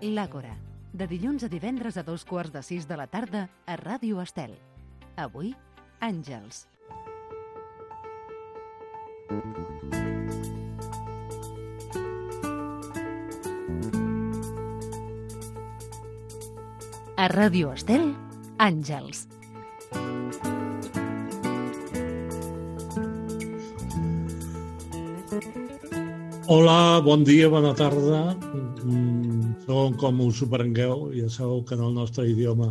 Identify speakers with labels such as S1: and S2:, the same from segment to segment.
S1: L'Àgora, de dilluns a divendres a 5:15 de la tarda a Ràdio Estel. Avui, Àngels. A Ràdio Estel, Àngels.
S2: Hola, bon dia, bona tarda. Segons com us ho prengueu, ja sabeu que en el nostre idioma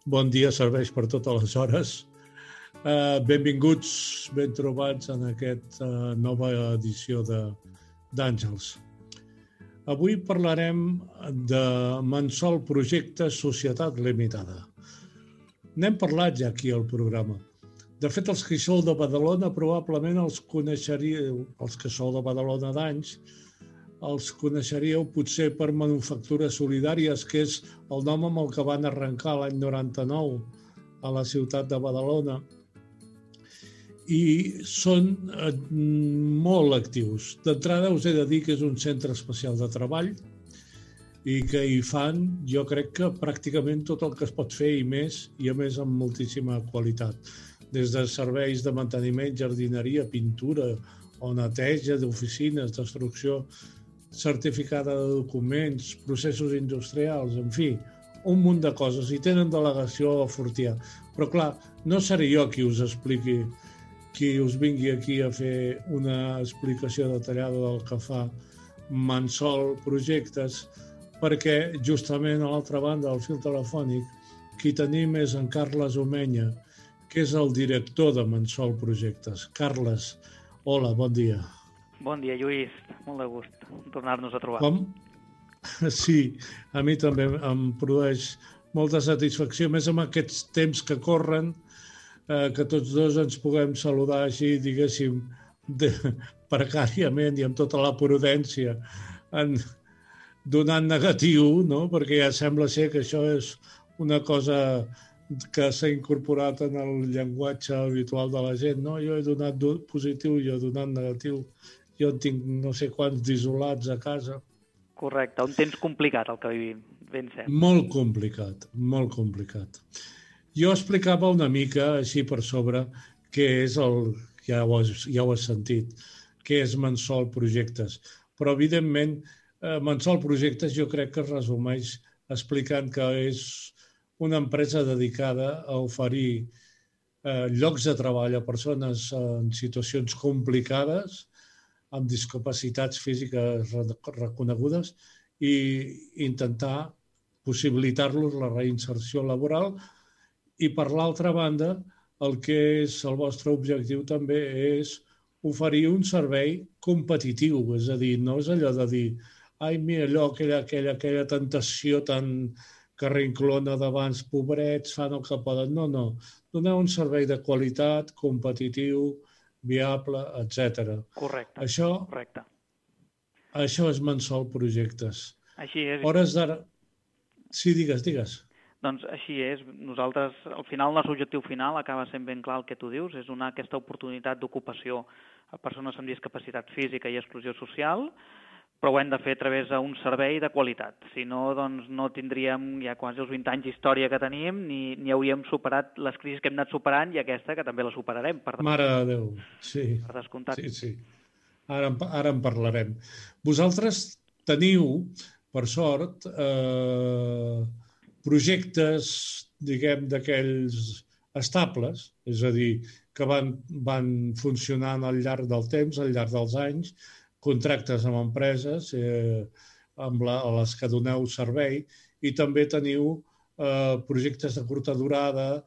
S2: bon dia serveix per totes les hores. Benvinguts, ben trobats en aquesta nova edició d'Àngels. Avui parlarem de Mansol Projectes Societat Limitada. N'hem parlat ja aquí al programa. De fet, els que hi sou de Badalona probablement els coneixeríeu, els que sou de Badalona d'anys, els coneixeríeu potser per Manufactures Solidàries, que és el nom amb el que van arrencar l'any 99 a la ciutat de Badalona. I són molt actius. D'entrada us he de dir que és un centre especial de treball i que hi fan, jo crec que pràcticament tot el que es pot fer i més, i a més amb moltíssima qualitat. Des de serveis de manteniment, jardineria, pintura o neteja d'oficines, destrucció certificada de documents, processos industrials, en fi, un munt de coses. I tenen delegació a Fortià. Però clar, no seré jo qui us expliqui, qui us vingui aquí a fer una explicació detallada del que fa Mansol Projectes, perquè justament a l'altra banda del fil telefònic qui tenim és en Carles Omenya, que és el director de Mansol Projectes. Carles, hola, bon dia.
S3: Bon dia, Lluís. Molt de gust tornar-nos a trobar.
S2: Com? Sí, a mi també em produeix molta satisfacció, més amb aquests temps que corren, que tots dos ens puguem saludar així, diguéssim, precàriament i amb tota la prudència, donant negatiu, no? Perquè ja sembla ser que això és una cosa que s'ha incorporat en el llenguatge habitual de la gent, no? Jo he donat positiu, jo he donat negatiu, jo en tinc no sé quants d'isolats a casa.
S3: Correcte, un temps complicat el que vivim, ben cert.
S2: Molt complicat, molt complicat. Jo explicava una mica, així per sobre, què és el, ja ho has sentit, què és Mansol Projectes. Però, evidentment, Mansol Projectes jo crec que es resumeix explicant que és una empresa dedicada a oferir llocs de treball a persones en situacions complicades, amb discapacitats físiques reconegudes, i intentar possibilitar-los la reinserció laboral. I per l'altra banda, el que és el vostre objectiu també és oferir un servei competitiu, és a dir, no és allò de dir ai, mira, allò, aquella tentació tan carrinclona d'abans, pobrets, fan el que poden. No, no. Donar un servei de qualitat, competitiu, viable, etc.
S3: Correcte, correcte.
S2: Això és Mansol Projectes.
S3: Així és.
S2: Hores d'ara... Sí, digues.
S3: Doncs així és. Nosaltres, al final, el nostre objectiu final acaba sent ben clar el que tu dius, és donar aquesta oportunitat d'ocupació a persones amb discapacitat física i exclusió social, però ho hem de fer a través d'un servei de qualitat. Si no, doncs no tindríem ja quasi els 20 anys d'història que tenim, ni hauríem superat les crisis que hem anat superant i aquesta, que també la superarem.
S2: Mare de Déu, sí.
S3: Per descomptat.
S2: Sí. Ara en parlarem. Vosaltres teniu, per sort, projectes, diguem, d'aquells estables, és a dir, que van funcionant al llarg del temps, al llarg dels anys, contractes amb empreses a les que doneu servei, i també teniu projectes de curta durada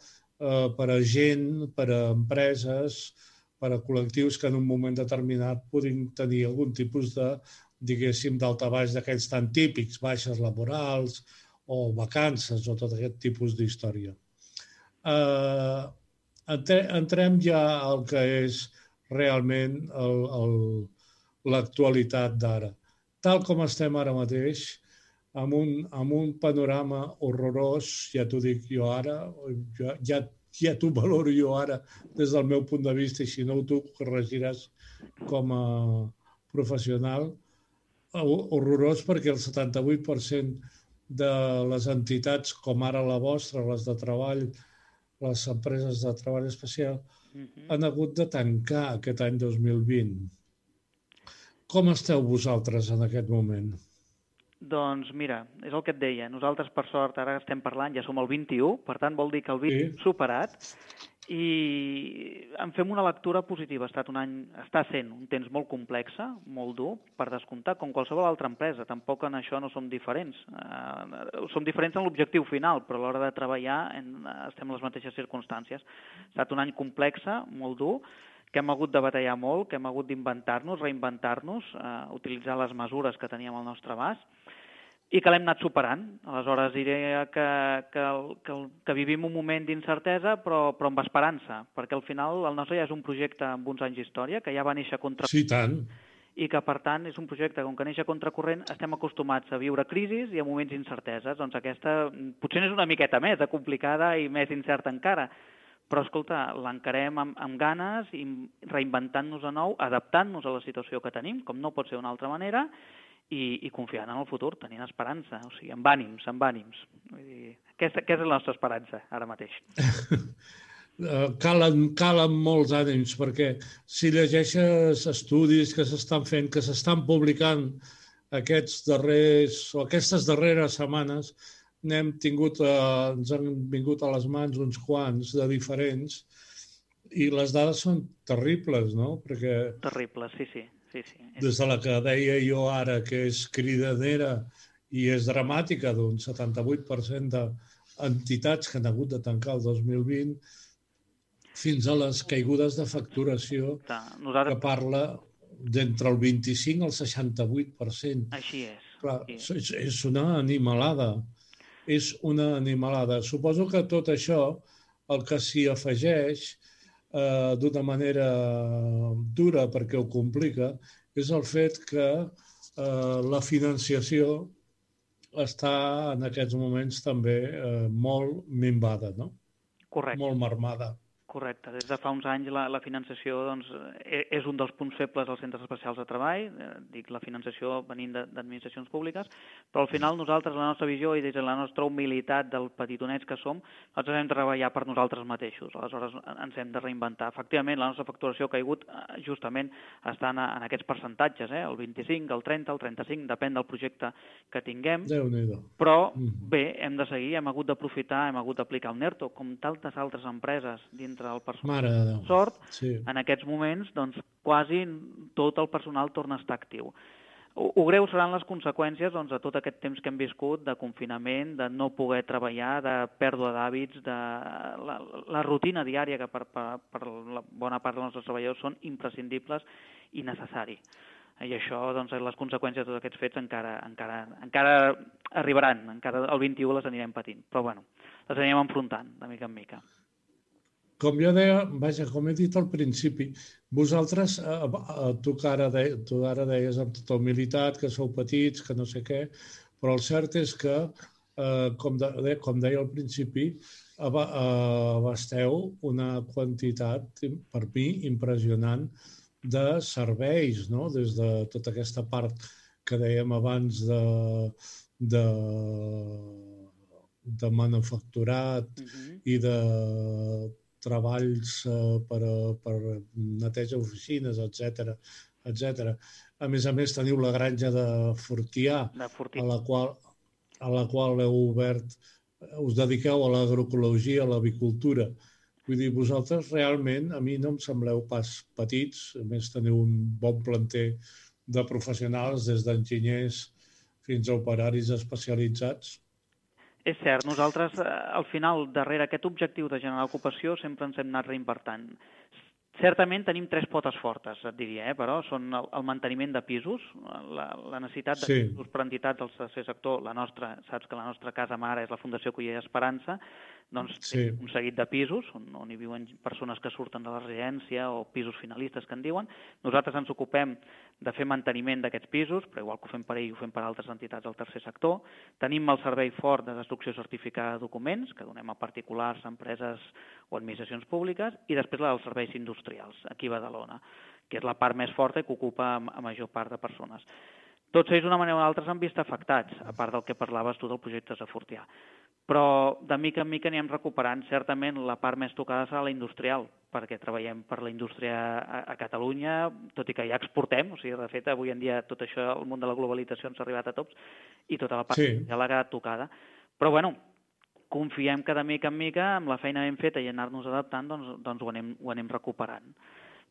S2: per a gent, per a empreses, per a col·lectius que en un moment determinat puguin tenir algun tipus de, diguéssim, daltabaix d'aquells tan típics, baixes laborals o vacances o tot aquest tipus d'història. Entrem ja al que és realment l'actualitat d'ara. Tal com estem ara mateix, amb un panorama horrorós, ja t'ho dic jo ara, ja t'ho valoro jo ara des del meu punt de vista, i si no tu corregiràs com a professional, horrorós perquè el 78% de les entitats com ara la vostra, les de treball, les empreses de treball especial, han hagut de tancar aquest any 2020. Com esteu vosaltres en aquest moment?
S3: Doncs mira, és el que et deia, nosaltres per sort ara estem parlant, ja som al 21, per tant vol dir que el 20 hem superat i en fem una lectura positiva. Està sent un temps molt complex, molt dur, per descomptar, com qualsevol altra empresa. Tampoc en això no som diferents. Som diferents en l'objectiu final, però a l'hora de treballar estem en les mateixes circumstàncies. Ha estat un any complex, molt dur, que hem hagut de batallar molt, que hem hagut d'inventar-nos, reinventar-nos, utilitzar les mesures que teníem al nostre abast, i que l'hem anat superant. Aleshores diré que vivim un moment d'incertesa, però amb esperança, perquè al final el nostre ja és un projecte amb uns anys d'història, que ja va néixer contracorrent.
S2: Sí, tant.
S3: I que, per tant, és un projecte, com que neix a contracorrent, estem acostumats a viure crisis i a moments d'incerteses. Doncs aquesta potser és una miqueta més complicada i més incerta encara, però, escolta, l'encarem amb ganes, i reinventant-nos de nou, adaptant-nos a la situació que tenim, com no pot ser d'una altra manera, i confiant en el futur, tenint esperança, o sigui, amb ànims. Vull dir, aquesta és la nostra esperança, ara mateix.
S2: Calen molts ànims, perquè si llegeixes estudis que s'estan fent, que s'estan publicant aquestes darreres setmanes, ens han vingut a les mans uns quants de diferents, i les dades són terribles, no?
S3: Terribles, sí.
S2: Des de la que deia jo ara, que és cridanera i és dramàtica, d'un 78% d'entitats que han hagut de tancar el 2020, fins a les caigudes de facturació, que parla d'entre el 25 al 68%.
S3: Així és.
S2: Clar, és una animalada. És una animalada. Suposo que tot això, el que s'hi afegeix d'una manera dura, perquè ho complica, és el fet que la financiació està en aquests moments també molt minvada, no?
S3: Correcte.
S2: Molt marmada.
S3: Correcte. Des de fa uns anys la financiació és un dels punts febles dels centres especials de treball, dic la financiació venint d'administracions públiques, però al final nosaltres, la nostra visió i des de la nostra humilitat del petitonets que som, nosaltres hem de treballar per nosaltres mateixos, aleshores ens hem de reinventar. Efectivament, la nostra facturació ha caigut justament està en aquests percentatges, el 25, el 30, el 35, depèn del projecte que tinguem, però bé, hem de seguir, hem hagut d'aprofitar, hem hagut d'aplicar un ERTO, com tantes altres empreses dintre el personal de sort, en aquests moments doncs, quasi tot el personal torna a estar actiu. Ho greu seran les conseqüències de tot aquest temps que hem viscut, de confinament, de no poder treballar, de pèrdua d'hàbits, de la rutina diària que per la bona part dels nostres treballadors són imprescindibles i necessari. I això, doncs, les conseqüències de tots aquests fets encara arribaran, encara el 21 les anirem patint, però bueno, les anirem enfrontant de mica en mica.
S2: Com jo deia, com he dit al principi, vosaltres, tu ara deies amb tota humilitat que sou petits, que no sé què, però el cert és que, com deia al principi, abasteu una quantitat, per mi, impressionant de serveis, no? Des de tota aquesta part que dèiem abans de manufacturat i de treballs per neteja oficines, etc. A més, teniu la granja de Fortià, a la qual heu obert, us dediqueu a l'agroecologia, a l'avicultura. Vull dir, vosaltres realment, a mi no em sembleu pas petits, a més teniu un bon planter de professionals, des d'enginyers fins a operaris especialitzats.
S3: És cert, nosaltres al final, darrere aquest objectiu de generar ocupació, sempre ens hem anat reinvertant. Certament tenim 3 potes fortes, et diria, però són el manteniment de pisos, la necessitat de pisos per entitats del tercer sector, la nostra, saps que la nostra casa mare és la Fundació Culler Esperança, doncs un seguit de pisos on hi viuen persones que surten de la residència o pisos finalistes que en diuen. Nosaltres ens ocupem de fer manteniment d'aquests pisos, però igual que ho fem per ell, ho fem per altres entitats del tercer sector. Tenim el servei fort de destrucció certificada de documents, que donem a particulars, empreses o administracions públiques, i després la dels serveis industrials, aquí a Badalona, que és la part més forta i que ocupa a major part de persones. Tots ells d'una manera o altra s'han vist afectats, a part del que parlaves tu del projecte de Fortià. Però de mica en mica anirem recuperant. Certament la part més tocada serà la industrial, perquè treballem per la indústria a Catalunya, tot i que ja exportem, o sigui, de fet, avui en dia tot això, el món de la globalització ens ha arribat a tots, i tota la part ja l'ha quedat tocada. Però, bueno, confiem que de mica en mica, amb la feina ben feta i anar-nos adaptant, doncs ho anem recuperant.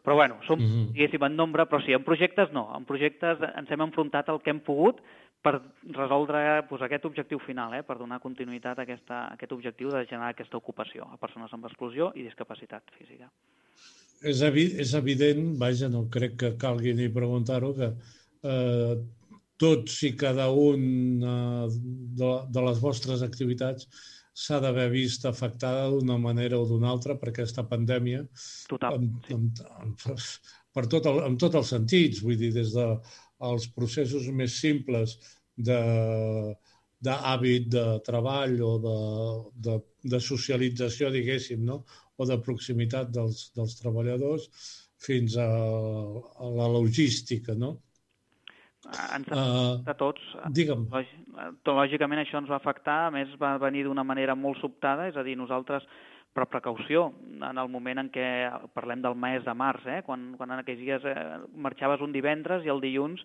S3: Però, bueno, som, diguéssim, en nombre, però sí, en projectes no. En projectes ens hem enfrontat al que hem pogut per resoldre aquest objectiu final, per donar continuïtat a aquest objectiu de generar aquesta ocupació a persones amb exclusió i discapacitat física.
S2: És evident, vaja, no crec que calgui ni preguntar-ho, que tots i cada un de les vostres activitats s'ha d'haver vist afectada d'una manera o d'una altra per aquesta pandèmia.
S3: Total.
S2: En tots els sentits, vull dir, des dels processos més simples d'hàbit de treball o de socialització, diguéssim, no? O de proximitat dels treballadors fins a la logística, no?
S3: Ens afecta a tots.
S2: Digue'm.
S3: Lògicament això ens va afectar, a més va venir d'una manera molt sobtada, és a dir, nosaltres per precaució, en el moment en què parlem del mes de març, quan en aquells dies marxaves un divendres i el dilluns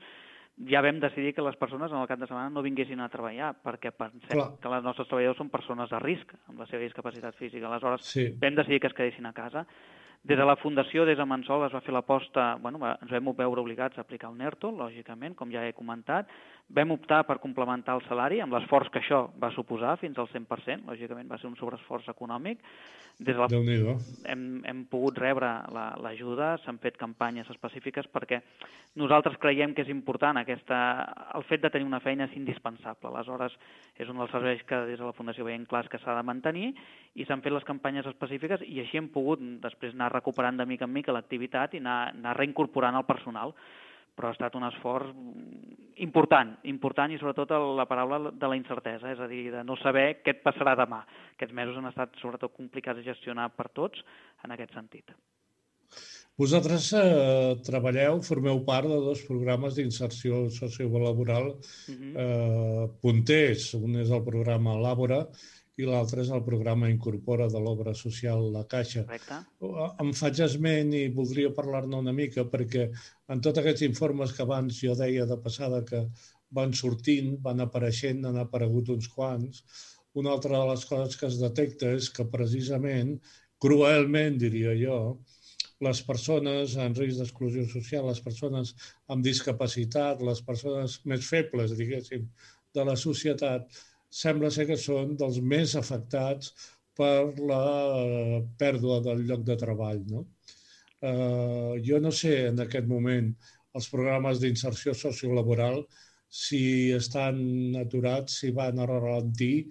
S3: ja vam decidir que les persones en el cap de setmana no vinguessin a treballar, perquè pensem que els nostres treballadors són persones de risc amb la seva discapacitat física. Aleshores, vam decidir que es quedessin a casa. Des de la Fundació, des de Mansol, es va fer l'aposta, ens vam veure obligats a aplicar el NERTO, lògicament, com ja he comentat. Vam optar per complementar el salari, amb l'esforç que això va suposar, fins al 100%, lògicament va ser un sobreesforç econòmic. Hem pogut rebre l'ajuda, s'han fet campanyes específiques perquè nosaltres creiem que és important el fet de tenir una feina és indispensable. Aleshores, és un dels serveis que des de la Fundació veiem clars que s'ha de mantenir i s'han fet les campanyes específiques i així hem pogut després anar recuperant de mica en mica l'activitat i anar reincorporant el personal. Però ha estat un esforç important i sobretot la paraula de la incertesa, és a dir, de no saber què et passarà demà. Aquests mesos han estat sobretot complicats de gestionar per tots en aquest sentit.
S2: Vosaltres formeu part de dos programes d'inserció sociolaboral punters. Un és el programa Làbora i l'altre és el programa Incorpora de l'obra social La Caixa.
S3: Correcte.
S2: Em faig esment i voldria parlar-ne una mica perquè en tots aquests informes que abans jo deia de passada que van sortint, van apareixent, han aparegut uns quants, una altra de les coses que es detecta és que precisament, cruelment diria jo, les persones en risc d'exclusió social, les persones amb discapacitat, les persones més febles, diguéssim, de la societat, sembla ser que són dels més afectats per la pèrdua del lloc de treball. Jo no sé en aquest moment els programes d'inserció sociolaboral si estan aturats, si van a ralentir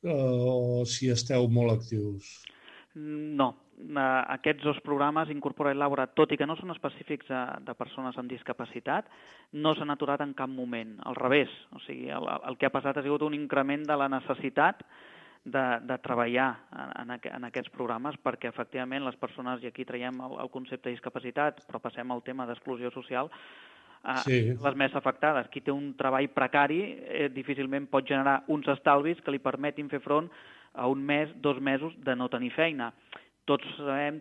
S2: o si esteu molt actius.
S3: No. Aquests dos programes, Incorpora i Làbora, tot i que no són específics de persones amb discapacitat, no s'han aturat en cap moment. Al revés, o sigui, el que ha passat ha sigut un increment de la necessitat de treballar en aquests programes perquè efectivament les persones, i aquí traiem el concepte de discapacitat, però passem al tema d'exclusió social, les més afectades. Qui té un treball precari difícilment pot generar uns estalvis que li permetin fer front a un mes, 2 mesos de no tenir feina. Tots sabem,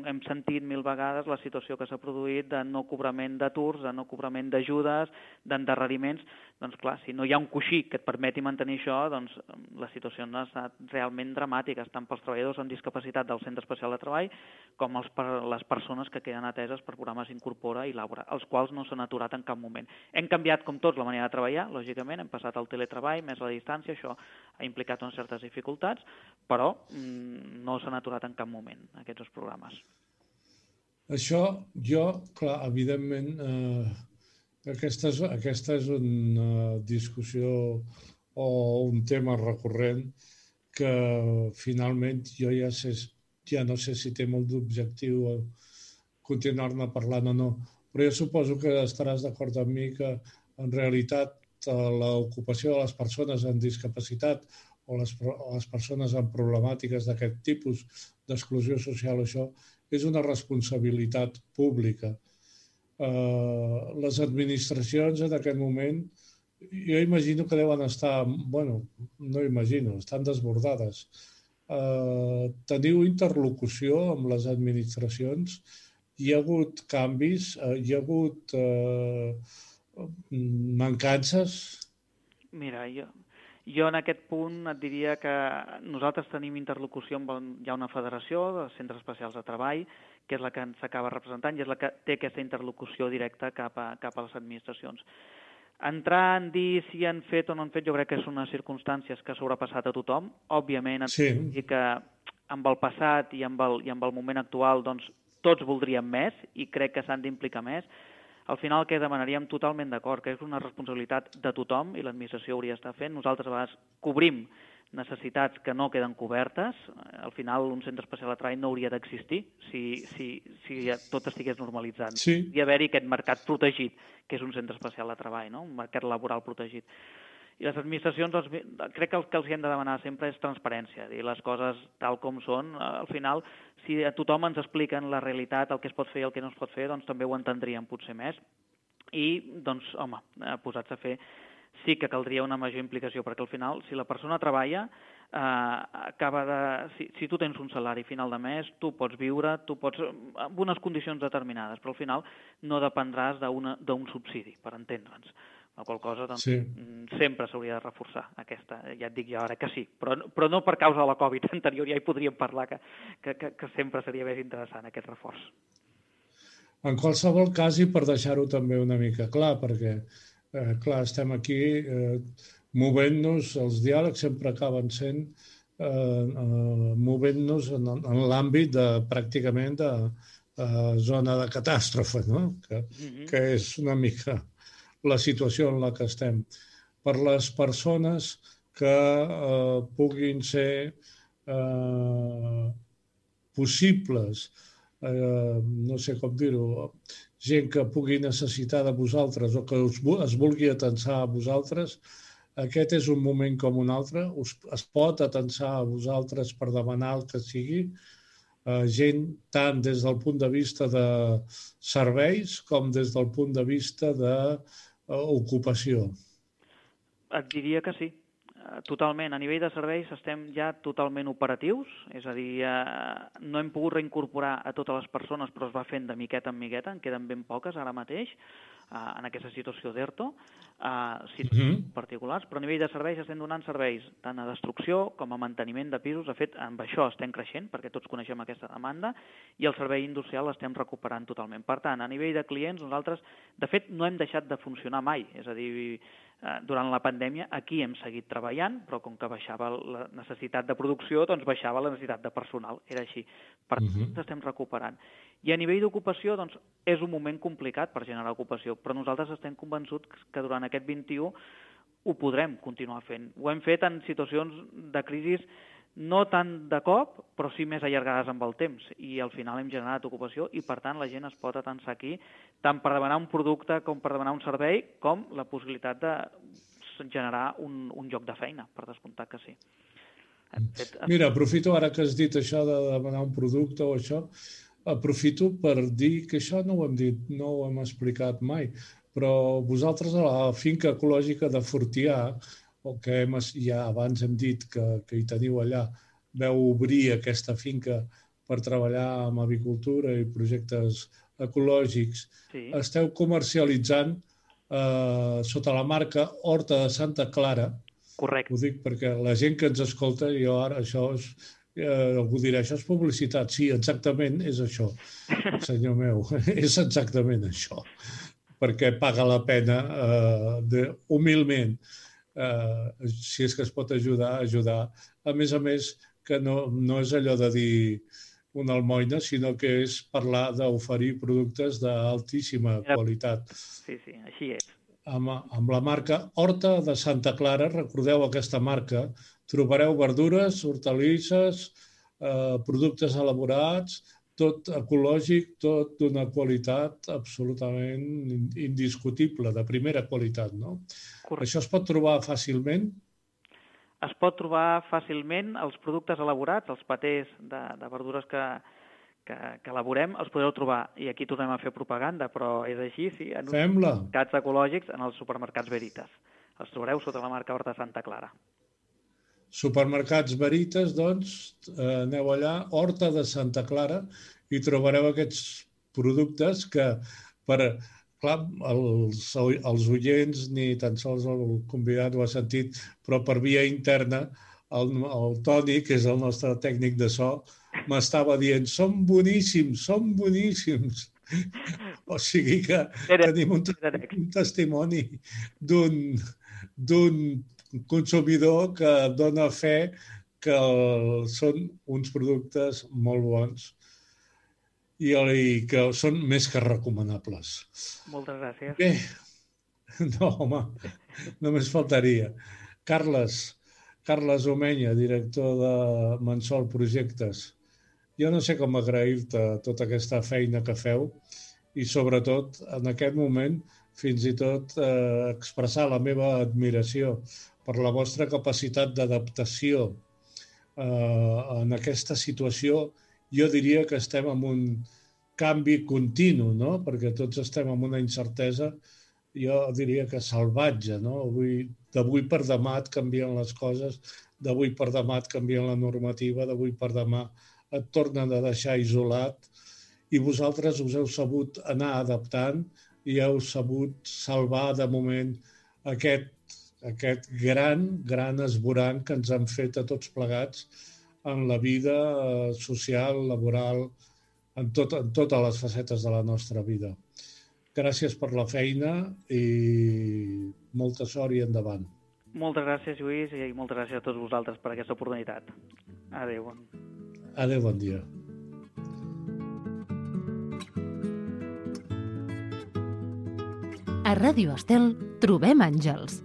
S3: hem sentit 1000 vegades la situació que s'ha produït de no cobrament d'aturs, de no cobrament d'ajudes, d'endarreriments. Doncs clar, si no hi ha un coixí que et permeti mantenir això, doncs la situació ha estat realment dramàtica, tant pels treballadors amb discapacitat del Centre Especial de Treball com les persones que queden ateses per programes Incorpora i Làbora, els quals no s'han aturat en cap moment. Hem canviat, com tots, la manera de treballar, lògicament, hem passat al teletreball, més la distància, això ha implicat unes certes dificultats, però no s'han aturat en cap moment, aquests dos programes.
S2: Això, clar, evidentment, aquesta és una discussió o un tema recurrent que finalment jo ja no sé si té molt d'objectiu continuar-ne parlant o no, però jo suposo que estaràs d'acord amb mi que en realitat l'ocupació de les persones amb discapacitat o les persones amb problemàtiques d'aquest tipus d'exclusió social, això és una responsabilitat pública. Les administracions en aquest moment, jo imagino que deuen estar, bueno, no imagino, estan desbordades. Teniu interlocució amb les administracions? Hi ha hagut canvis? Hi ha hagut mancances?
S3: Mira, jo en aquest punt et diria que nosaltres tenim interlocució amb hi ha una federació de centres especials de treball, que és la que ens acaba representant i és la que té aquesta interlocució directa cap a les administracions. Entrar en dir si han fet o no han fet, jo crec que són unes circumstàncies que ha sobrepassat a tothom. Òbviament, dir que amb el passat i amb el moment actual doncs, tots voldríem més i crec que s'han d'implicar més. Al final, el que demanaríem totalment d'acord, que és una responsabilitat de tothom i l'administració hauria d'estar fent. Nosaltres a vegades cobrim necessitats que no queden cobertes. Al final, un centre especial de treball no hauria d'existir si tot estigués normalitzant.
S2: Sí.
S3: Hauria d'haver-hi aquest mercat protegit, que és un centre especial de treball, no? Un mercat laboral protegit. I les administracions, doncs, crec que el que els hem de demanar sempre és transparència, dir les coses tal com són. Al final, si a tothom ens expliquen la realitat, el que es pot fer i el que no es pot fer, doncs també ho entendríem potser més. I, doncs, home, posats a fer, sí que caldria una major implicació, perquè al final, si la persona treballa, si tu tens un salari final de mes, tu pots viure, amb unes condicions determinades, però al final no dependràs d'un subsidi, per entendre'ns. La qual cosa doncs, sempre s'hauria de reforçar aquesta, ja et dic jo ara que sí, però no per causa de la Covid anterior, ja hi podríem parlar que sempre seria més interessant aquest reforç.
S2: En qualsevol cas, i per deixar-ho també una mica clar, perquè clar, estem aquí movent-nos, els diàlegs sempre acaben sent movent-nos en l'àmbit pràcticament de zona de catàstrofe, no? Que és una mica la situació en la que estem. Per les persones que puguin ser possibles, no sé com dir-ho, gent que pugui necessitar de vosaltres o que es vulgui atensar a vosaltres, aquest és un moment com un altre, es pot atensar a vosaltres per demanar el que sigui, gent tant des del punt de vista de serveis com des del punt de vista d'ocupació.
S3: Et diria que sí, totalment. A nivell de serveis estem ja totalment operatius, és a dir, no hem pogut reincorporar a totes les persones, però es va fent de miqueta en miqueta, en queden ben poques ara mateix, en aquesta situació d'ERTO, situacions particulars, però a nivell de serveis estem donant serveis tant a destrucció com a manteniment de pisos. De fet, amb això estem creixent, perquè tots coneixem aquesta demanda, i el servei industrial l'estem recuperant totalment. Per tant, a nivell de clients, nosaltres, de fet, no hem deixat de funcionar mai, és a dir, durant la pandèmia aquí hem seguit treballant, però com que baixava la necessitat de producció, doncs baixava la necessitat de personal, era així. Per tant, ens estem recuperant. I a nivell d'ocupació, doncs, és un moment complicat per generar ocupació, però nosaltres estem convençuts que durant aquest 21 ho podrem continuar fent. Ho hem fet en situacions de crisi no tant de cop, però sí més allargades amb el temps, i al final hem generat ocupació i, per tant, la gent es pot atensar aquí tant per demanar un producte com per demanar un servei, com la possibilitat de generar un lloc de feina, per descomptat que sí.
S2: Mira, aprofito ara que has dit això de demanar un producte o això, aprofito per dir que això no ho hem dit, no ho hem explicat mai, però vosaltres a la finca ecològica de Fortià, o que ja abans hem dit que hi teniu allà, veu obrir aquesta finca per treballar amb avicultura i projectes ecològics, esteu comercialitzant sota la marca Horta de Santa Clara.
S3: Correcte.
S2: Ho dic perquè la gent que ens escolta, jo ara això és... algú dirà, això és publicitat. Sí, exactament és això, senyor meu, és exactament això, perquè paga la pena humilment, si és que es pot ajudar. A més, que no és allò de dir una almoina, sinó que és parlar d'oferir productes d'altíssima qualitat.
S3: Sí, així és.
S2: Amb la marca Horta de Santa Clara, recordeu aquesta marca, trobareu verdures, hortalisses, productes elaborats, tot ecològic, tot d'una qualitat absolutament indiscutible, de primera qualitat, no? Correcte. Això es pot trobar fàcilment?
S3: Es pot trobar fàcilment els productes elaborats, els patès de verdures que que elaborem, els podreu trobar, i aquí tornem a fer propaganda, però és així, sí, en uns
S2: Fem-la.
S3: supermercats ecològics, en els supermercats Veritas. Els trobareu sota la marca Horta Santa Clara.
S2: Supermercats Veritas, doncs, aneu allà, Horta de Santa Clara, i trobareu aquests productes que, clar, els oients ni tan sols el convidat ho ha sentit, però per via interna el Toni, que és el nostre tècnic de so, m'estava dient, són boníssims, són boníssims. O sigui que tenim un testimoni d'un consumidor que dona fe que són uns productes molt bons i que són més que recomanables.
S3: Moltes gràcies.
S2: Bé, no, home, només faltaria. Carles Omenya, director de Mansol Projectes. Jo no sé com agrair-te tota aquesta feina que feu i, sobretot, en aquest moment, fins i tot expressar la meva admiració per la vostra capacitat d'adaptació en aquesta situació. Jo diria que estem en un canvi continu, no? Perquè tots estem en una incertesa, jo diria que salvatge, no? D'avui per demà et canvien les coses, d'avui per demà et canvien la normativa, d'avui per demà et tornen a deixar isolat, i vosaltres us heu sabut anar adaptant i heu sabut salvar de moment aquest gran esborrany que ens han fet a tots plegats en la vida social, laboral, en totes les facetes de la nostra vida. Gràcies per la feina i molta sort i endavant.
S3: Moltes gràcies, Lluís, i moltes gràcies a tots vosaltres per aquesta oportunitat. Adéu.
S2: Adéu, bon dia.
S1: A Ràdio Estel trobem àngels.